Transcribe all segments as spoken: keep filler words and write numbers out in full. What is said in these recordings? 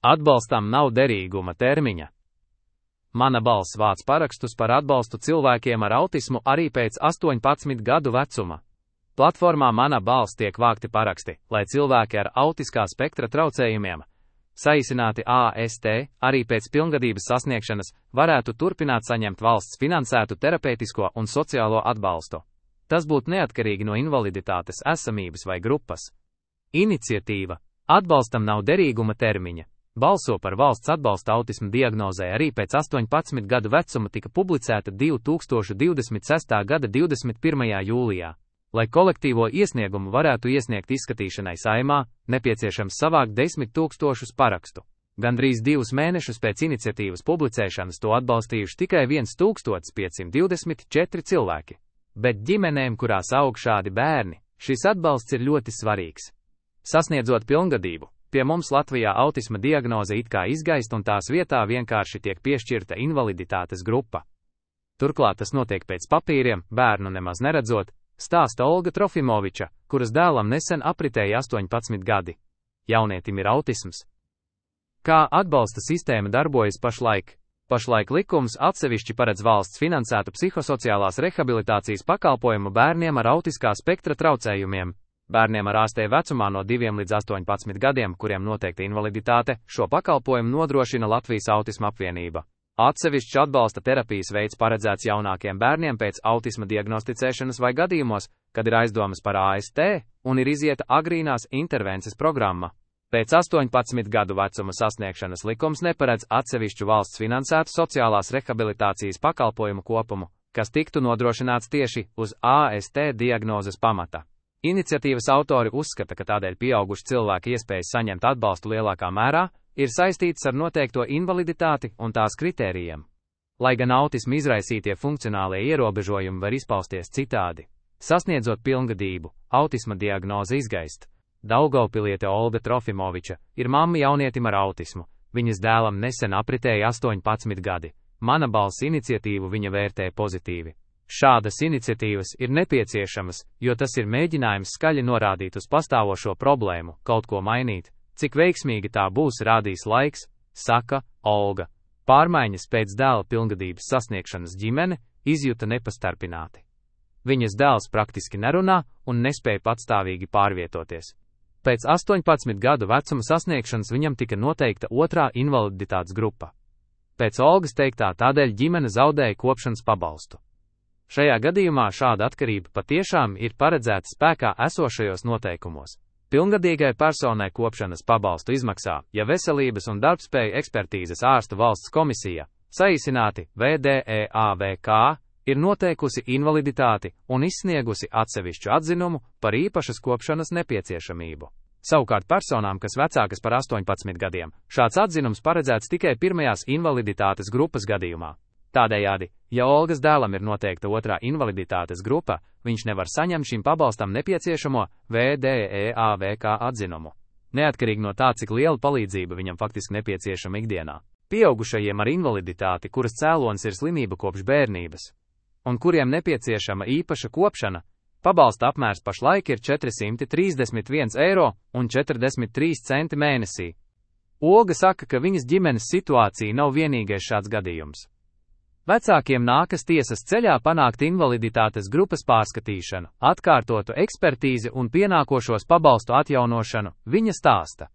Atbalstam nav derīguma termiņa. Mana balss vāc parakstus par atbalstu cilvēkiem ar autismu arī pēc astoņpadsmit gadu vecuma. Platformā Mana balss tiek vākti paraksti, lai cilvēki ar autiskā spektra traucējumiem, saīsināti A S T, arī pēc pilngadības sasniegšanas, varētu turpināt saņemt valsts finansētu terapeitisko un sociālo atbalstu. Tas būtu neatkarīgi no invaliditātes esamības vai grupas. Iniciatīva Atbalstam nav derīguma termiņa balso par valsts atbalstu autisma diagnozē arī pēc astoņpadsmit gadu vecuma tika publicēta divi tūkstoši divdesmit sestā gada divdesmit pirmajā jūlijā. Lai kolektīvo iesniegumu varētu iesniegt izskatīšanai Saeimā, nepieciešams savākt desmit tūkstošus parakstu. Gandrīz divus mēnešus pēc iniciatīvas publicēšanas to atbalstījuši tikai viens tūkstotis piecsimt divdesmit četri cilvēki. Bet ģimenēm, kurās aug šādi bērni, šis atbalsts ir ļoti svarīgs. Sasniedzot pilngadību, pie mums Latvijā autisma diagnoze it kā izgaist un tās vietā vienkārši tiek piešķirta invaliditātes grupa. Turklāt tas notiek pēc papīriem, bērnu nemaz neredzot, stāsta Olga Trofimoviča, kuras dēlam nesen apritēja astoņpadsmit gadi. Jaunietim ir autisms. Kā atbalsta sistēma darbojas pašlaik? Pašlaik likums atsevišķi paredz valsts finansētu psihosociālās rehabilitācijas pakalpojumu bērniem ar autiskā spektra traucējumiem. Bērniem ar A S T vecumā no diviem līdz astoņpadsmit gadiem, kuriem noteikta invaliditāte, šo pakalpojumu nodrošina Latvijas autisma apvienība. Atsevišķs atbalsta terapijas veids paredzēts jaunākiem bērniem pēc autisma diagnosticēšanas vai gadījumos, kad ir aizdomas par A S T un ir izieta agrīnās intervences programma. Pēc astoņpadsmit gadu vecuma sasniegšanas likums neparedz atsevišķu valsts finansētu sociālās rehabilitācijas pakalpojumu kopumu, kas tiktu nodrošināts tieši uz A S T diagnozes pamata. Iniciatīvas autori uzskata, ka tādēļ pieauguši cilvēki iespējas saņemt atbalstu lielākā mērā ir saistīts ar noteikto invaliditāti un tās kritērijiem. Lai gan autismu izraisītie funkcionālie ierobežojumi var izpausties citādi. Sasniedzot pilngadību, autisma diagnoze izgaist. Daugavpiliete Olga Trofimoviča ir mamma jaunietim ar autismu. Viņas dēlam nesen apritēja astoņpadsmit gadi. Mana balss iniciatīvu viņa vērtē pozitīvi. Šādas iniciatīvas ir nepieciešamas, jo tas ir mēģinājums skaļi norādīt uz pastāvošo problēmu, kaut ko mainīt. Cik veiksmīgi tā būs, rādīs laiks, saka Olga. Pārmaiņas pēc dēla pilngadības sasniegšanas ģimene izjuta nepastarpināti. Viņas dēls praktiski nerunā un nespēja patstāvīgi pārvietoties. Pēc astoņpadsmit gadu vecuma sasniegšanas viņam tika noteikta otrā invaliditātes grupa. Pēc Olgas teiktā tādēļ ģimene zaudēja kopšanas pabalstu. Šajā gadījumā šāda atkarība patiešām ir paredzēta spēkā esošajos noteikumos. Pilngadīgai personai kopšanas pabalstu izmaksā, ja veselības un darbspēju ekspertīzes ārstu valsts komisija, saīsināti V D E A V K, ir noteikusi invaliditāti un izsniegusi atsevišķu atzinumu par īpašas kopšanas nepieciešamību. Savukārt personām, kas vecākas par astoņpadsmit gadiem, šāds atzinums paredzēts tikai pirmajās invaliditātes grupas gadījumā. Tādējādi, ja Olgas dēlam ir noteikta otrā invaliditātes grupa, viņš nevar saņemt šim pabalstam nepieciešamo V D E A V K atzinumu. Neatkarīgi no tā, cik liela palīdzība viņam faktiski nepieciešama ikdienā. Pieaugušajiem ar invaliditāti, kuras cēlonis ir slimība kopš bērnības, un kuriem nepieciešama īpaša kopšana, pabalsta apmērs pašlaik ir četri simti trīsdesmit viens eiro un četrdesmit trīs centi mēnesī. Olga saka, ka viņas ģimenes situācija nav vienīgais šāds gadījums. Vecākiem nākas tiesas ceļā panākt invaliditātes grupas pārskatīšanu, atkārtotu ekspertīzi un pienākošos pabalstu atjaunošanu, viņa stāsta.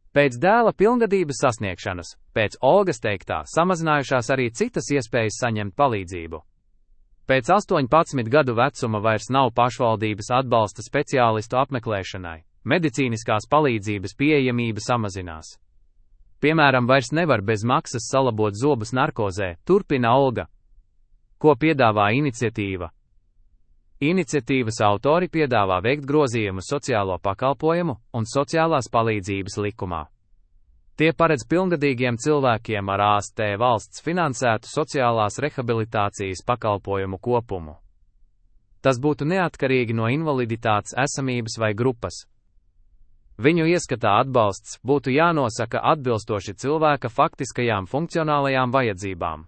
Pēc dēla pilngadības sasniegšanas, pēc Olgas teiktā, samazinājušās arī citas iespējas saņemt palīdzību. Pēc astoņpadsmit gadu vecuma vairs nav pašvaldības atbalsta speciālistu apmeklēšanai, medicīniskās palīdzības pieejamība samazinās. Piemēram, vairs nevar bez maksas salabot zobus narkozē, turpina Olga. Ko piedāvā iniciatīva? Iniciatīvas autori piedāvā veikt grozījumu sociālo pakalpojumu un sociālās palīdzības likumā. Tie paredz pilngadīgiem cilvēkiem ar A S T valsts finansētu sociālās rehabilitācijas pakalpojumu kopumu. Tas būtu neatkarīgi no invaliditātes esamības vai grupas. Viņu ieskatā atbalsts būtu jānosaka atbilstoši cilvēka faktiskajām funkcionālajām vajadzībām.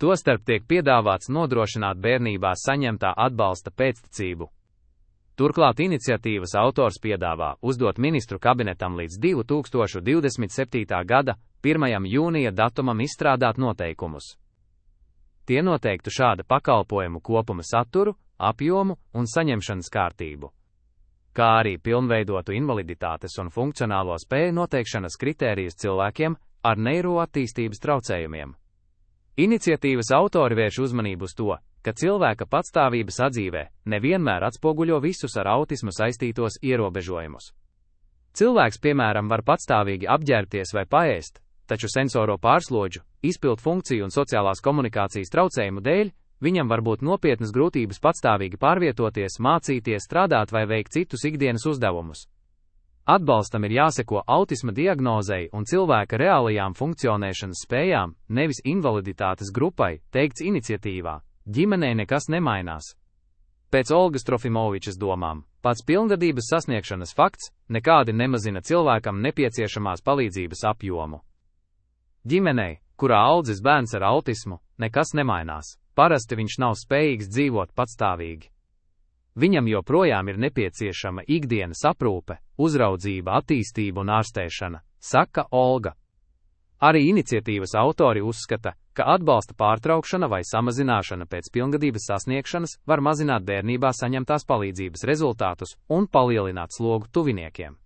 Tostarp tiek piedāvāts nodrošināt bērnībā saņemtā atbalsta pēctecību. Turklāt iniciatīvas autors piedāvā uzdot ministru kabinetam līdz divi tūkstoši divdesmit septītā gada pirmajam jūnija datumam izstrādāt noteikumus. Tie noteiktu šāda pakalpojumu kopuma saturu, apjomu un saņemšanas kārtību, kā arī pilnveidotu invaliditātes un funkcionālo spēju noteikšanas kritērijus cilvēkiem ar neiroattīstības traucējumiem. Iniciatīvas autori vērš uzmanību uz to, ka cilvēka patstāvības atzīvē nevienmēr atspoguļo visus ar autismu saistītos ierobežojumus. Cilvēks, piemēram, var patstāvīgi apģērbties vai paēst, taču sensoro pārslodžu, izpildu funkciju un sociālās komunikācijas traucējumu dēļ viņam var būt nopietnas grūtības patstāvīgi pārvietoties, mācīties, strādāt vai veikt citus ikdienas uzdevumus. Atbalstam ir jāseko autisma diagnozei un cilvēka reālajām funkcionēšanas spējām, nevis invaliditātes grupai, teikts iniciatīvā. Ģimenei nekas nemainās. Pēc Olgas Trofimovičas domām, pats pilngadības sasniegšanas fakts nekādi nemazina cilvēkam nepieciešamās palīdzības apjomu. Ģimenei, kurā audzis bērns ar autismu, nekas nemainās. Parasti viņš nav spējīgs dzīvot patstāvīgi. Viņam joprojām ir nepieciešama ikdienas aprūpe, uzraudzība, attīstība un ārstēšana, saka Olga. Arī iniciatīvas autori uzskata, ka atbalsta pārtraukšana vai samazināšana pēc pilngadības sasniegšanas var mazināt bērnībā saņemtās palīdzības rezultātus un palielināt slogu tuviniekiem.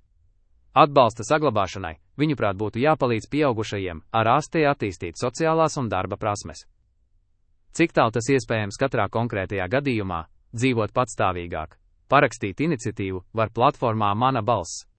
Atbalsta saglabāšanai, viņuprāt, būtu jāpalīdz pieaugušajiem ar ārstē attīstīt sociālās un darba prasmes. Cik tālu tas iespējams katrā konkrētajā gadījumā, dzīvot patstāvīgāk, parakstīt iniciatīvu var platformā Mana balss.